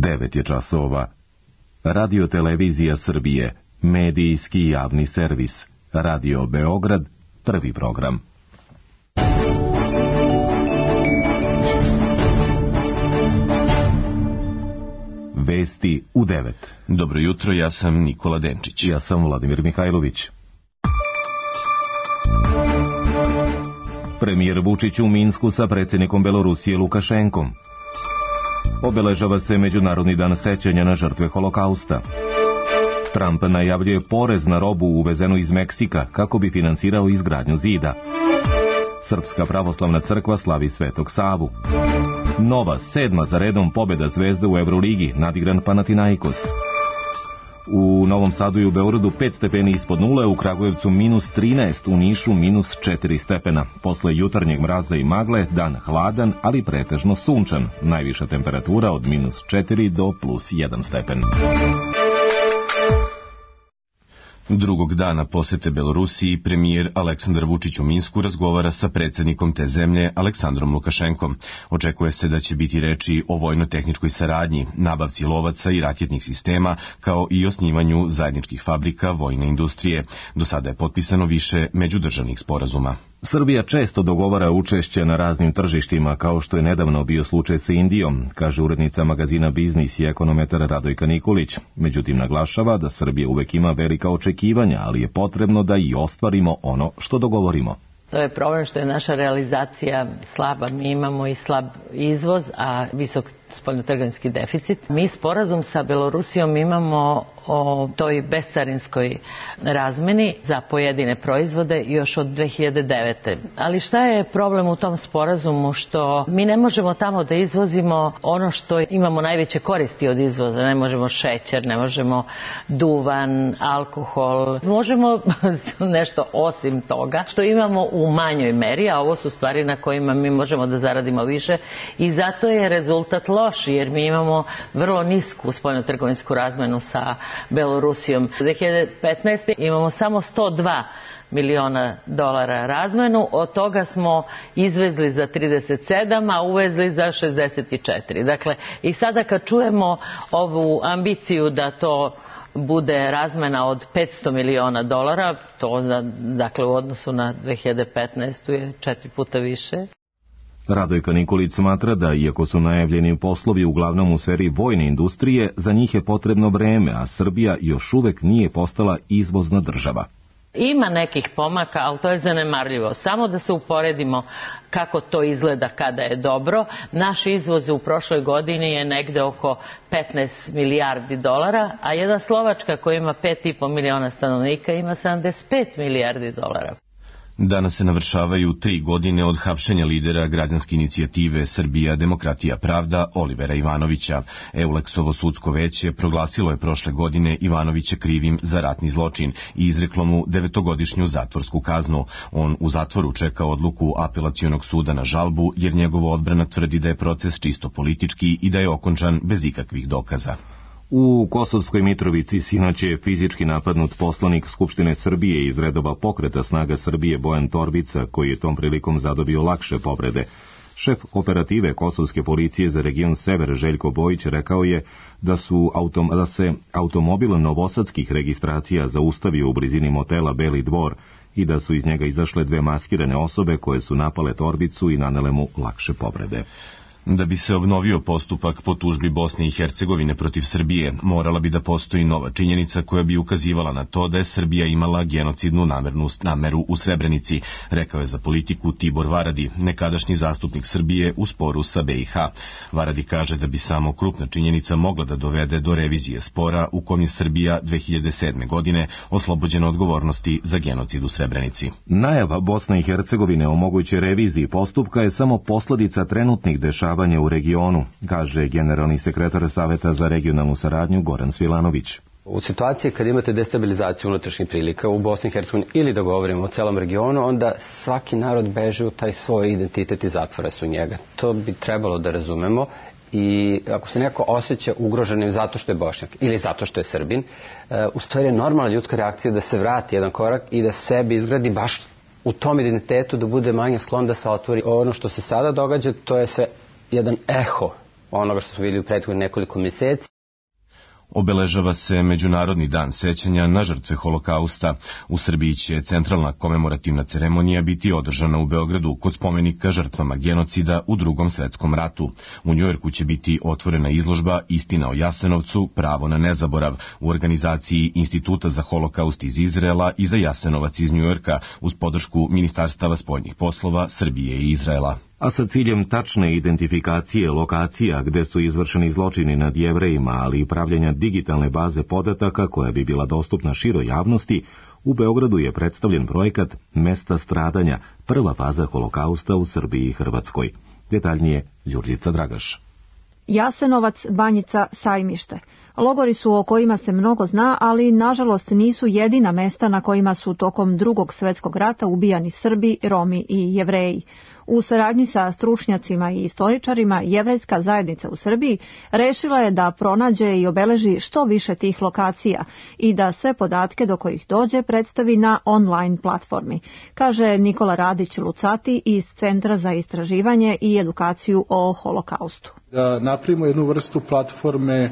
9 je časova. Radio Televizija Srbije, medijski javni servis. Radio Beograd, prvi program. Vesti u 9. Dobro jutro, ja sam Nikola Denčić. Ja sam Vladimir Mihajlović. Premijer Vučić u Minsku sa predsjednikom Belorusije Lukašenkom. Obeležava se Međunarodni dan sećanja na žrtve Holokausta. Trump najavljuje porez na robu uvezenu iz Meksika kako bi finansirao izgradnju zida. Srpska pravoslavna crkva slavi Svetog Savu. Nova, 7. za redom pobjeda Zvezde u Evroligi, nadigran Panathinaikos. U Novom Sadu i u Beogradu 5 stepeni ispod nule, u Kragujevcu minus 13, u Nišu minus 4 stepena. Posle jutarnjeg mraza i magle, dan hladan, ali pretežno sunčan. Najviša temperatura od minus 4 do plus 1 stepen. Drugog dana posete Belorusiji, premijer Aleksandar Vučić u Minsku razgovara sa predsjednikom te zemlje Aleksandrom Lukašenkom. Očekuje se da će biti reči o vojno-tehničkoj saradnji, nabavci lovaca i raketnih sistema, kao i osnivanju zajedničkih fabrika vojne industrije. Do sada je potpisano više međudržavnih sporazuma. Srbija često dogovara učešće na raznim tržištima, kao što je nedavno bio slučaj sa Indijom, kaže urednica magazina Biznis i ekonometar Radojka Nikolić. Međutim, naglašava da Srbija uvek ima velika očekivanja, ali je potrebno da i ostvarimo ono što dogovorimo. To je problem što je naša realizacija slaba. Mi imamo i slab izvoz, a visok spoljnotrgovinski deficit. Mi sporazum sa Belorusijom imamo o toj bescarinskoj razmeni za pojedine proizvode još od 2009. Ali šta je problem u tom sporazumu? Što mi ne možemo tamo da izvozimo ono što imamo najveće koristi od izvoza. Ne možemo šećer, ne možemo duvan, alkohol. Možemo nešto osim toga što imamo u manjoj meri, a ovo su stvari na kojima mi možemo da zaradimo više i zato je rezultat loš, jer mi imamo vrlo nisku spoljnotrgovinsku razmenu sa Belorusijom. U 2015. imamo samo 102 miliona dolara razmenu, od toga smo izvezli za 37, a uvezli za 64. Dakle, i sada kad čujemo ovu ambiciju da to bude razmena od 500 miliona dolara, to dakle u odnosu na 2015. je 4 puta više. Radojka Nikolić smatra da, iako su najavljeni poslovi uglavnom u sferi vojne industrije, za njih je potrebno vreme, a Srbija još uvek nije postala izvozna država. Ima nekih pomaka, ali to je zanemarljivo. Samo da se uporedimo kako to izgleda kada je dobro. Naš izvoz u prošloj godini je negde oko 15 milijardi dolara, a jedna Slovačka koja ima 5,5 miliona stanovnika ima 75 milijardi dolara. Danas se navršavaju 3 godine od hapšenja lidera građanske inicijative Srbija, demokratija, pravda Olivera Ivanovića. Euleksovo sudsko veće proglasilo je prošle godine Ivanovića krivim za ratni zločin i izreklo mu 9-godišnju zatvorsku kaznu. On u zatvoru čeka odluku apelacionog suda na žalbu, jer njegova odbrana tvrdi da je proces čisto politički i da je okončan bez ikakvih dokaza. U Kosovskoj Mitrovici sinoć je fizički napadnut poslanik Skupštine Srbije iz redova Pokreta snaga Srbije Bojan Torbica, koji je tom prilikom zadobio lakše povrede. Šef operative Kosovske policije za region Sever Željko Bojić rekao je da se automobil novosadskih registracija zaustavio u blizini motela Beli Dvor i da su iz njega izašle 2 maskirane osobe koje su napale Torbicu i nanele mu lakše povrede. Da bi se obnovio postupak po tužbi Bosne i Hercegovine protiv Srbije, morala bi da postoji nova činjenica koja bi ukazivala na to da je Srbija imala genocidnu nameru u Srebrenici, rekao je za Politiku Tibor Varadi, nekadašnji zastupnik Srbije u sporu sa BiH. Varadi kaže da bi samo krupna činjenica mogla da dovede do revizije spora u kom je Srbija 2007. godine oslobođena odgovornosti za genocid u Srebrenici. Najava Bosne i Hercegovine o mogućoj reviziji postupka je samo posledica trenutnih dešavanja u regionu, kaže generalni sekretar Saveta za regionalnu saradnju Goran Svilanović. U situaciji kad imate destabilizaciju unutrašnjih prilika u Bosni i Hercegovini ili da govorimo o celom regionu, onda svaki narod beže u taj svoj identitet i zatvara se u njega. To bi trebalo da razumemo i ako se neko osjeća ugroženim zato što je Bošnjak ili zato što je Srbin, u stvari je normalna ljudska reakcija da se vrati jedan korak i da sebi izgradi baš u tom identitetu, da bude manje sklon da se otvori. Ono što se sada događa, to je sve jedan eho onoga što smo vidjeli u prethodnih nekoliko mjeseci. Obeležava se Međunarodni dan sećanja na žrtve Holokausta. U Srbiji će centralna komemorativna ceremonija biti održana u Beogradu kod spomenika žrtvama genocida u Drugom svetskom ratu. U Njujorku će biti otvorena izložba Istina o Jasenovcu, pravo na nezaborav u organizaciji Instituta za holokaust iz Izraela i za Jasenovac iz Njujorka uz podršku Ministarstava spoljnih poslova Srbije i Izraela. A sa ciljem tačne identifikacije lokacija gde su izvršeni zločini nad Jevrejima, ali i pravljenja digitalne baze podataka koja bi bila dostupna široj javnosti, u Beogradu je predstavljen projekat Mesta stradanja, prva faza holokausta u Srbiji i Hrvatskoj. Detaljnije Đurđica Dragaš. Jasenovac, Banjica, Sajmište. Logori su o kojima se mnogo zna, ali nažalost nisu jedina mesta na kojima su tokom Drugog svjetskog rata ubijani Srbi, Romi i Jevreji. U saradnji sa stručnjacima i istoričarima, jevrejska zajednica u Srbiji rešila je da pronađe i obeleži što više tih lokacija i da sve podatke do kojih dođe predstavi na online platformi, kaže Nikola Radić-Lucati iz Centra za istraživanje i edukaciju o holokaustu. Da napravimo jednu vrstu platforme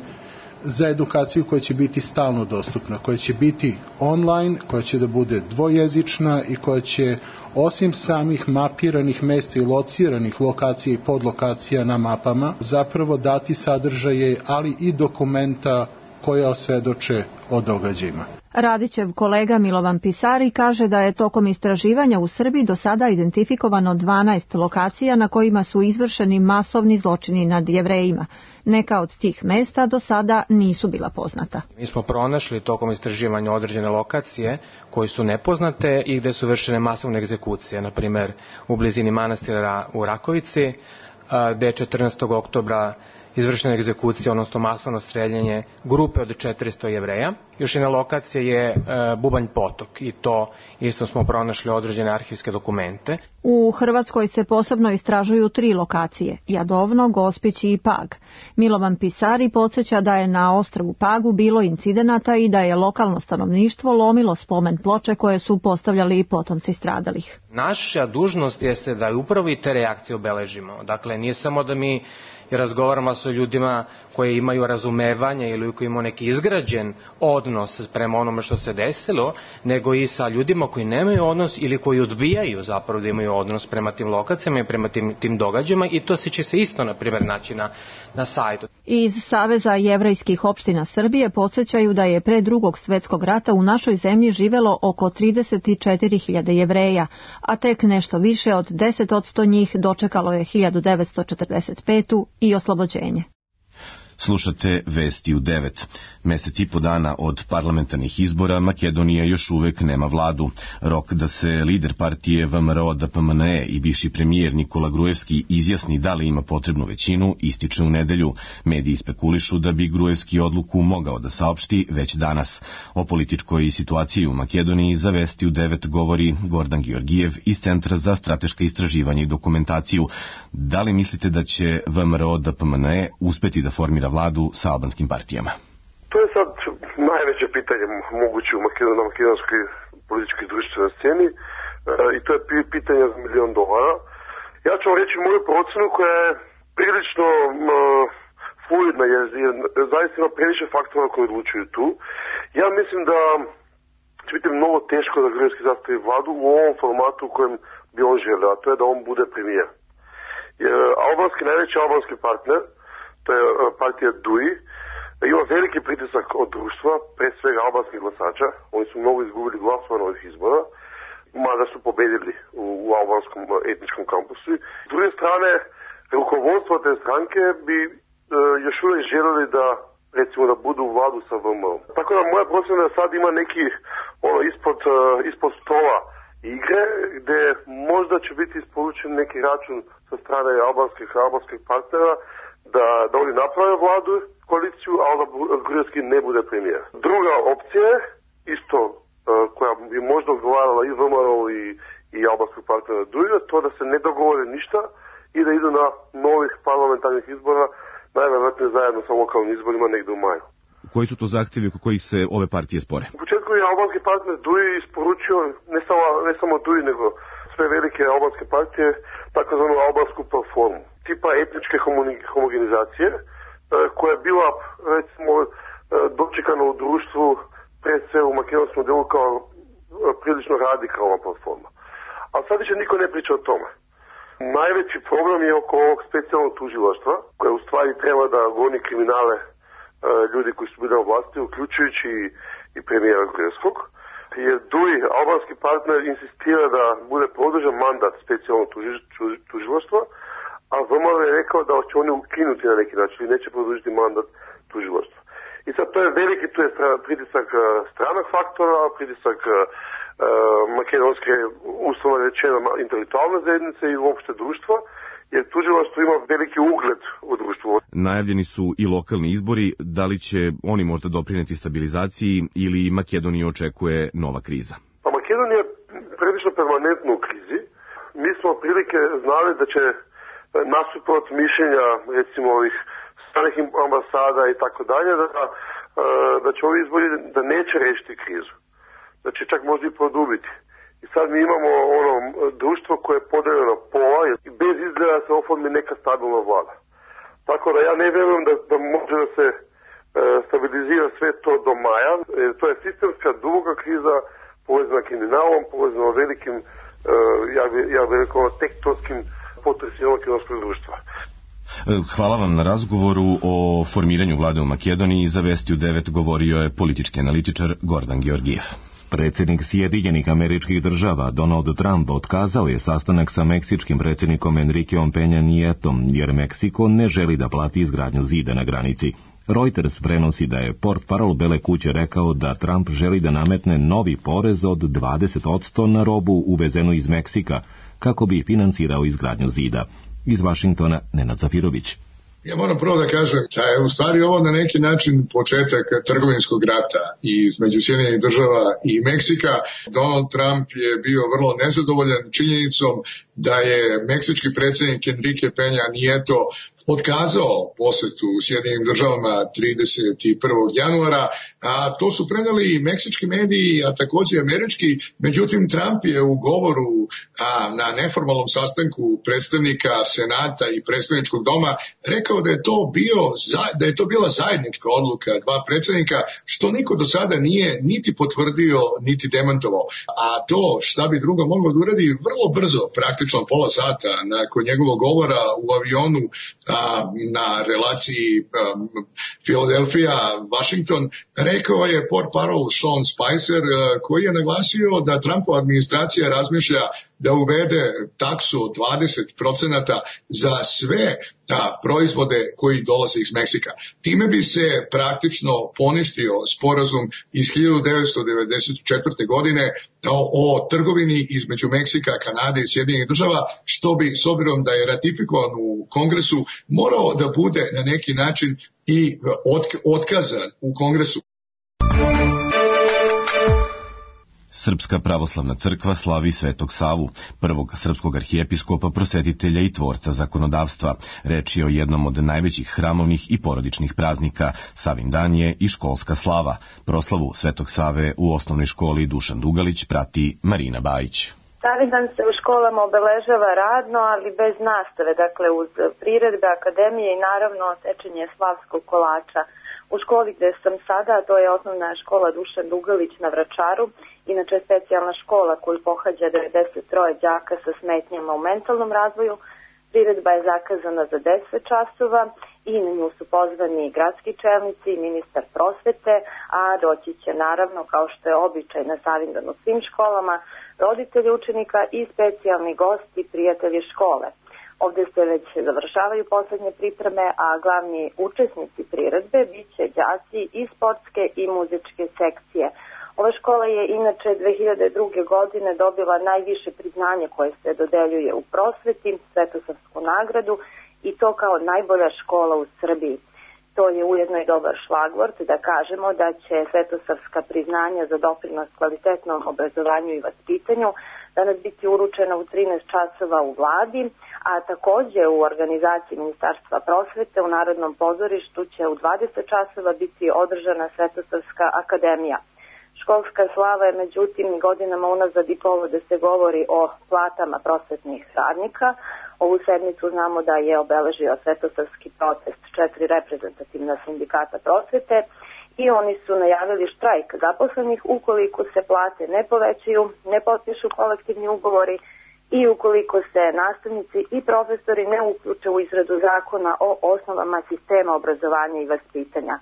za edukaciju koja će biti stalno dostupna, koja će biti online, koja će da bude dvojezična i koja će osim samih mapiranih mesta i lociranih lokacija i podlokacija na mapama zapravo dati sadržaje, ali i dokumenta koja osvedoče o događajima. Radićev kolega Milovan Pisari kaže da je tokom istraživanja u Srbiji do sada identifikovano 12 lokacija na kojima su izvršeni masovni zločini nad Jevrejima. Neka od tih mesta do sada nisu bila poznata. Mi smo pronašli tokom istraživanja određene lokacije koje su nepoznate i gde su vršene masovne egzekucije, na primjer u blizini manastira u Rakovici, gde je 14. oktobra izvršena egzekucija, odnosno masovno streljanje grupe od 400 Jevreja. Još jedna lokacija je Bubanj potok i to isto smo pronašli određene arhivske dokumente. U Hrvatskoj se posebno istražuju 3 lokacije, Jadovno, Gospić i Pag. Milovan Pisari podsjeća da je na ostrvu Pagu bilo incidenata i da je lokalno stanovništvo lomilo spomen ploče koje su postavljali i potomci stradalih. Naša dužnost jeste da upravo i te reakcije obeležimo. Dakle, nije samo da mi razgovaramo sa ljudima koji imaju razumevanje ili koji imaju neki izgrađen odnos prema onome što se desilo, nego i sa ljudima koji nemaju odnos ili koji odbijaju zapravo da imaju odnos prema tim lokacijama i prema tim događajima i to će se isto, na primjer, naći na sajtu. Iz Saveza jevrejskih opština Srbije podsjećaju da je pre Drugog svjetskog rata u našoj zemlji živelo oko 34.000 Jevreja, a tek nešto više od 10% njih dočekalo je 1945. i oslobođenje. Slušate Vesti u 9. Mesec i po dana od parlamentarnih izbora Makedonija još uvek nema vladu. Rok da se lider partije VMRO-DPMNE i bivši premijer Nikola Gruevski izjasni da li ima potrebnu većinu ističe u nedelju. Mediji spekulišu da bi Gruevski odluku mogao da saopšti već danas. O političkoj situaciji u Makedoniji za Vesti u 9 govori Gordan Georgijev iz Centra za strateška istraživanja i dokumentaciju. Da li mislite da će VMRO-DPMNE uspeti da formira vladu sa albanskim partijama? To je sad najveće pitanje moguće na makedonskoj političkoj i društvenoj sceni i to je pitanje za $1.000.000. Ja ću vam reći moju procenu koja je prilično fluidna jer zaista ima previše faktora koji odlučuju tu. Ja mislim da će biti mnogo teško da Gruevski sastavi vladu u ovom formatu u kojem bi on želeo, a to je da on bude premijer. Najveći albanski partner, to je partija DUI, ima veliki pritisak od društva, pre svega albanskih glasača. Oni su mnogo izgubili glasova na ovih izbora, mada su pobedili u albanskom etničkom kampusu. S druge strane, rukovodstvo te stranke bi još uvijek želeli da, recimo, da budu u vladu sa VMO. Tako da moja procena da sad ima neki ispod stola igre, gde možda će biti isporučen neki račun sa strane albanskih partnera, da oni naprave vladu, koaliciju, ali da Gruevski ne bude premijer. Druga opcija je, isto koja bi možda odgovarala i VMRO i albanskog partnera DUI, to da se ne dogovore ništa i da idu na novih parlamentarnih izbora, najvjerojatnije zajedno sa lokalnim izborima negdje u maju. Koji su to zahtjevi oko kojih se ove partije spore? U početku je albanski partner DUI isporučio, ne samo DUI, nego sve velike albanske partije, takozvanu albansku platformu. tipa etničke homogenizacije koja je bila recimo dočekana u društvu pred sve u makedonskom delu kao prilično radikalna platforma. Ali sad više niko ne priča o tome. Najveći problem je oko ovog specijalnog tužilaštva koje u stvari treba da goni kriminale ljudi koji su bili na vlasti, uključujući i premijera Gruevskog. Jer Duri, albanski partner, insistira da bude produžen mandat specijalnog tužilaštva, a VMRO je rekao da će oni ukinuti na neki način i neće produžiti mandat tužilaštva. I sad to je veliki, tu je pritisak stranog faktora, pritisak makedonske, uslovno rečeno, intelektualne zajednice i uopšte društva, jer tužilaštvo ima veliki ugled u društvu. Najavljeni su i lokalni izbori, da li će oni možda doprineti stabilizaciji ili Makedoniju očekuje nova kriza? Pa Makedonija je prilično permanentno u krizi. Mi smo prilike znali da će nasuprot mišljenja recimo ovih stranih ambasada i tako dalje, da će ovi izbori da neće rešiti krizu. Znači čak možda i produbiti. I sad mi imamo društvo koje je podeljeno pola i bez izgleda se oformi neka stabilna vlada. Tako da ja ne vjerujem da može da se stabilizira sve to do maja. To je sistemska duboka kriza povezana kriminalom, povezana velikim, ja bih rekao, tektonskim potresima makedonskog društva. Hvala vam na razgovoru o formiranju vlade u Makedoniji. Za Vesti u 9 govorio je politički analitičar Gordan Georgijev. Predsjednik Sjedinjenih Američkih Država Donald Trump otkazao je sastanak sa meksičkim predsjednikom Enriqueom Peña Nietom jer Meksiko ne želi da plati izgradnju zida na granici. Reuters prenosi da je portparol Bele kuće rekao da Trump želi da nametne novi porez od 20% na robu uvezenu iz Meksika kako bi finansirao izgradnju zida. Iz Vašingtona Nenad Zafirović. Ja moram prvo da kažem da je u stvari ovo na neki način početak trgovinskog rata između Sjedinjenih Država i Meksika. Donald Trump je bio vrlo nezadovoljan činjenicom da je meksički predsjednik Enrique Peña Nieto otkazao posetu Sjedinjenim Državama 31. januara, a to su preneli i meksički mediji, a također američki. Međutim, Trump je u govoru na neformalnom sastanku predstavnika Senata i predstavničkog doma rekao da je to bila zajednička odluka dva predsjednika, što niko do sada nije niti potvrdio, niti demantovao. A to šta bi drugo moglo da uradi vrlo brzo, praktično pola sata nakon njegovog govora u avionu na relaciji Philadelphia-Washington, rekao je portparol Sean Spicer, koji je naglasio da Trumpova administracija razmišlja da uvede taksu od 20% za sve proizvode koji dolaze iz Meksika. Time bi se praktično poništio sporazum iz 1994. godine o trgovini između Meksika, Kanade i Sjedinjenih Država, što bi, s obzirom da je ratifikovan u Kongresu, morao da bude na neki način i otkazan u Kongresu. Srpska pravoslavna crkva slavi Svetog Savu, prvog srpskog arhijepiskopa, prosvetitelja i tvorca zakonodavstva. Reč je o jednom od najvećih hramovnih i porodičnih praznika. Savin dan je i školska slava. Proslavu Svetog Save u osnovnoj školi Dušan Dugalić prati Marina Bajić. Savindan se u školama obeležava radno, ali bez nastave, dakle uz priredbe, akademije i naravno sečenje slavskog kolača. U školi gde sam sada, to je osnovna škola Dušan Dugalić na Vračaru, inače specijalna škola koju pohađa 93 đaka sa smetnjama u mentalnom razvoju. Priredba je zakazana za 10 časova i na nju su pozvani gradski čelnici i ministar prosvete, a doći će naravno, kao što je običaj na Savindan u svim školama, roditelji učenika i specijalni gosti, prijatelji škole. Ovdje se već završavaju poslednje pripreme, a glavni učesnici priredbe bit će đaci i sportske i muzičke sekcije. Ova škola je inače 2002. godine dobila najviše priznanje koje se dodeljuje u prosveti, Svetosavsku nagradu, i to kao najbolja škola u Srbiji. To je ujedno i dobar šlagvort da kažemo da će Svetosavska priznanja za doprinos kvalitetnom obrazovanju i vaspitanju danas biti uručena u 13 časova u vladi, a takođe u organizaciji Ministarstva prosvete u Narodnom pozorištu će u 20 časova biti održana Svetosavska akademija. Školska slava je međutim godinama unazad i povod da se govori o platama prosvetnih radnika. Ovu sedmicu znamo da je obeležio svetosavski protest 4 reprezentativna sindikata prosvete i oni su najavili štrajk zaposlenih ukoliko se plate ne povećaju, ne potpišu kolektivni ugovori i ukoliko se nastavnici i profesori ne uključe u izradu zakona o osnovama sistema obrazovanja i vaspitanja.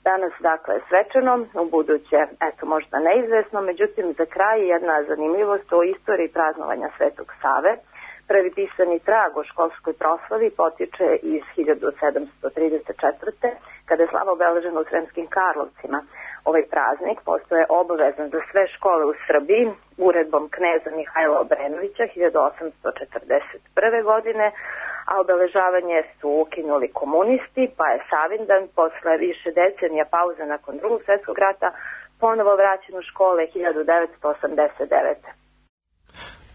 Danas, dakle, svečano, u buduće, možda neizvesno, međutim, za kraj jedna zanimljivost o istoriji praznovanja Svetog Save. Prvi pisani trag o školskoj proslavi potiče iz 1734. kada je slava obeležena u Sremskim Karlovcima. Ovaj praznik postoje obavezan za sve škole u Srbiji uredbom kneza Mihajla Obrenovića 1841. godine, a obeležavanje su ukinuli komunisti, pa je Savindan posle više decenija pauze nakon Drugog svjetskog rata ponovo vraćen u škole 1989.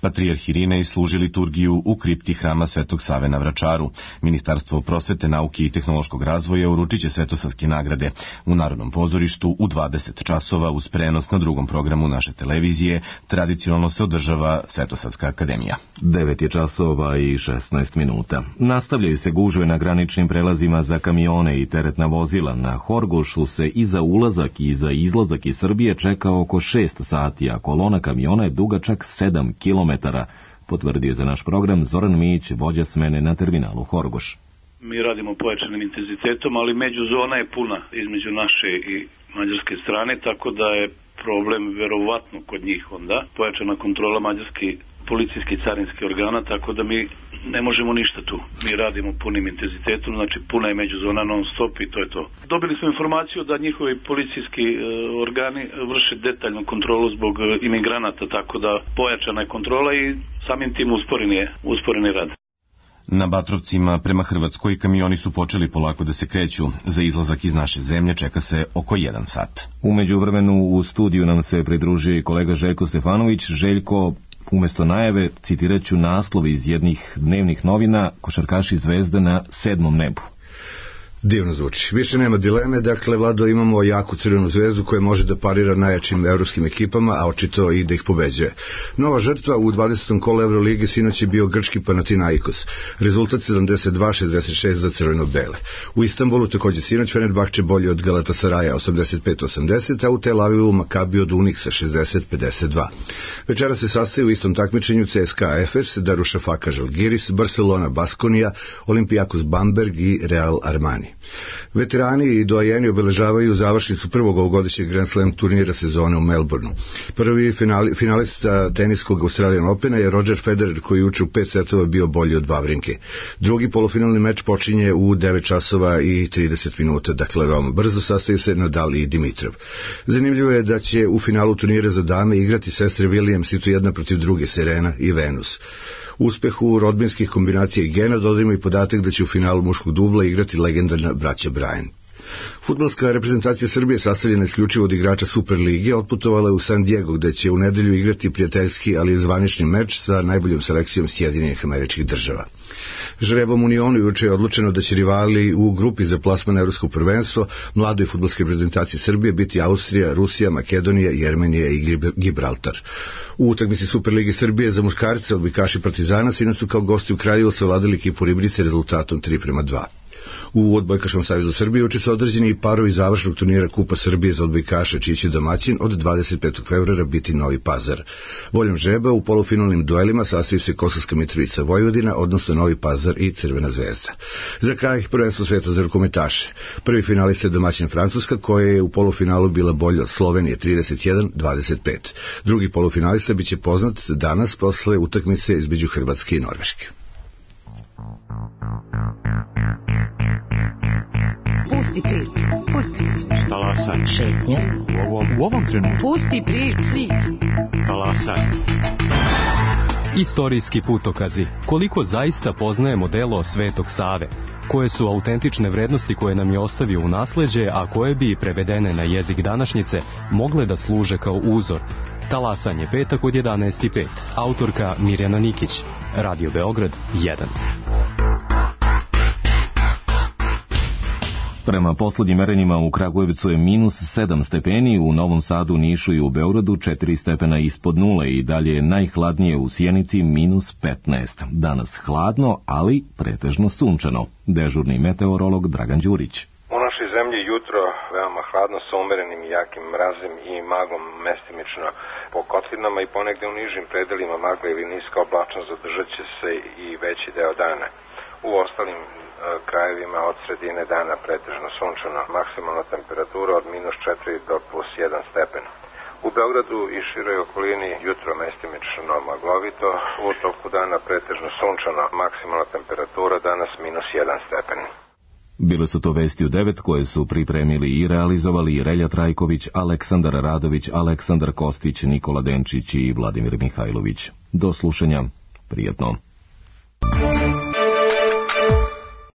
Patrijarh Irinej služi liturgiju u kripti hrama Svetog Save na Vračaru. Ministarstvo prosvete, nauke i tehnološkog razvoja uručit će svetosavske nagrade. U Narodnom pozorištu u 20 časova uz prenos na drugom programu naše televizije tradicionalno se održava Svetosavska akademija. 9 je časova i 16 minuta. Nastavljaju se gužve na graničnim prelazima za kamione i teretna vozila. Na Horgošu se i za ulazak i za izlazak iz Srbije čeka oko 6 sati, a kolona kamiona je duga čak 7 km. Potvrdio za naš program Zoran Mijić, vođa smene na terminalu Horgoš. Mi radimo pojačanim intenzitetom, ali međuzona je puna između naše i mađarske strane, tako da je problem verovatno kod njih onda. Pojačana kontrola mađarski policijski i carinski organa, tako da mi ne možemo ništa tu. Mi radimo punim intenzitetom, znači puna je međuzona non stop i to je to. Dobili smo informaciju da njihovi policijski organi vrše detaljnu kontrolu zbog imigranata, tako da pojačana je kontrola i samim tim usporeni rad. Na Batrovcima prema Hrvatskoj kamioni su počeli polako da se kreću. Za izlazak iz naše zemlje čeka se oko 1 sat. U međuvremenu u studiju nam se pridružio i kolega Željko Stefanović. Željko, umjesto najave citirat ću naslov iz jednih dnevnih novina: košarkaši Zvezde na 7. nebu. Divno zvuči. Više nema dileme, dakle, Vlado, imamo jaku Crvenu zvezdu koja može da parira najjačim evropskim ekipama, a očito i da ih pobeđuje. Nova žrtva u 20. kolu Evrolige sinoć je bio grčki Panathinaikos. Rezultat 72-66 za crveno-bele. U Istanbulu također sinoć Fenerbahče bolje od Galatasaraja 85-80, a u Tel Avivu Makabi od Uniksa 60-52. Večera se sastaju u istom takmičenju CSKA Efes, Darušafaka Žalgiris, Barcelona Baskonija, Olympiakos Bamberg i Real Armani. Veterani i doajeni obeležavaju završnicu prvog ovogodišnjeg Grand Slam turnira sezone u Melbourneu. Prvi finalista teniskog Australian Opena je Roger Federer, koji juče u 5 setova bio bolji od Vavrinke. Drugi polufinalni meč počinje u 9 časova i 30 minuta, dakle veoma brzo. Sastaju se Nadal i Dimitrov. Zanimljivo je da će u finalu turnira za dame igrati sestre Williams i to jedna protiv druge, Serena i Venus. Uspehu rodbinskih kombinacija i gena dodajemo i podatak da će u finalu muškog dubla igrati legendarna braća Bryan. Fudbalska reprezentacija Srbije, sastavljena isključivo od igrača Super lige, otputovala je u San Diego, gde će u nedelju igrati prijateljski, ali zvanični meč sa najboljom selekcijom Sjedinjenih Američkih Država. Žrebom Unionu juče je odlučeno da će rivali u grupi za plasman evropskog prvenstvo mladoj fudbalske reprezentacije Srbije biti Austrija, Rusija, Makedonija, Jermenija i Gibraltar. U utakmici Super lige Srbije za muškarce odbojkaši Partizana sinoć su kao gosti u Kraljevu savladali ekipu Ribrice rezultatom 3:2. U Odbojkaškom savezu Srbije juče su određeni i parovi završnog turnira Kupa Srbije za odbojkaše, čiji će domaćin od 25. februara biti Novi Pazar. Voljom žreba u polufinalnim duelima sastaju se Kosovska Mitrovica Vojvodina, odnosno Novi Pazar i Crvena zvezda. Za kraj prvenstvo sveta za rukometaše. Prvi finalista je domaćin Francuska, koja je u polufinalu bila bolja od Slovenije 31-25. Drugi polufinalista biće poznat danas posle utakmice između Hrvatske i Norveške. Pusti priču. Talasaj. Šetnja. U ovom trenutku. Pusti priču. Talasaj. Istorijski putokazi. Koliko zaista poznajemo delo Svetog Save? Koje su autentične vrednosti koje nam je ostavio u nasleđe, a koje bi, prevedene na jezik današnjice, mogle da služe kao uzor? Talasanje, petak od 11:05. Autorka Mirjana Nikić. Radio Beograd 1. Prema poslednjim merenjima u Kragujevcu je minus 7 stepeni, u Novom Sadu, Nišu i u Beogradu 4 stepena ispod nule i dalje je najhladnije u Sjenici minus 15. Danas hladno, ali pretežno sunčano. Dežurni meteorolog Dragan Đurić. U našoj zemlji jutro veoma hladno sa umerenim i jakim mrazem i maglom mestimično po kotlinama i ponegde u nižim predelima magla ili niska oblačnost zadržat će se i veći deo dana. U ostalim krajevima od sredine dana pretežno sunčano, maksimalna temperatura od minus 4 do plus 1 stepen. U Beogradu i široj okolini jutro mestimično maglovito, u toku dana pretežno sunčano, maksimalna temperatura danas minus 1 stepen. Bile su to vesti u 9 koje su pripremili i realizovali Relja Trajković, Aleksandar Radović, Aleksandar Kostić, Nikola Denčić i Vladimir Mihajlović. Do slušanja. Prijetno.